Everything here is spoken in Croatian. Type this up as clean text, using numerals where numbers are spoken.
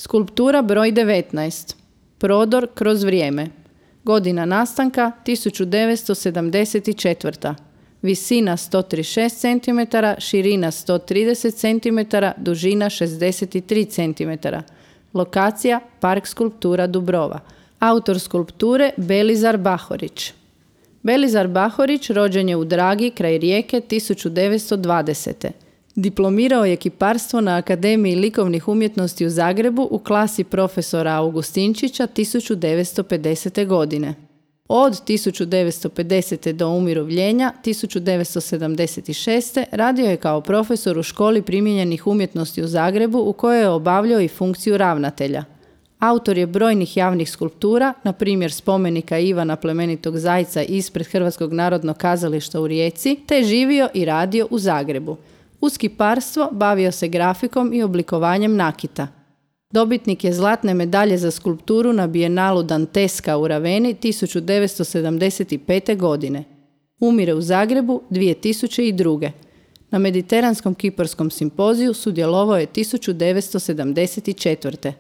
Skulptura broj 19. Prodor kroz vrijeme. Godina nastanka 1974. Visina 136 cm, širina 130 cm, dužina 63 cm. Lokacija Park skulptura Dubrova. Autor skulpture Belizar Bahorić. Belizar Bahorić rođen je u Dragi kraj Rijeke 1920. Diplomirao je kiparstvo na Akademiji likovnih umjetnosti u Zagrebu u klasi profesora Augustinčića 1950. godine. Od 1950. do umirovljenja 1976. radio je kao profesor u Školi primijenjenih umjetnosti u Zagrebu u kojoj je obavljao i funkciju ravnatelja. Autor je brojnih javnih skulptura, na primjer spomenika Ivana plemenitog Zajca ispred Hrvatskog narodnog kazališta u Rijeci, te živio i radio u Zagrebu. Uz kiparstvo bavio se grafikom i oblikovanjem nakita. Dobitnik je zlatne medalje za skulpturu na Bijenalu Danteska u Raveni 1975. godine. Umire u Zagrebu 2002. Na Mediteranskom kiparskom simpoziju sudjelovao je 1974.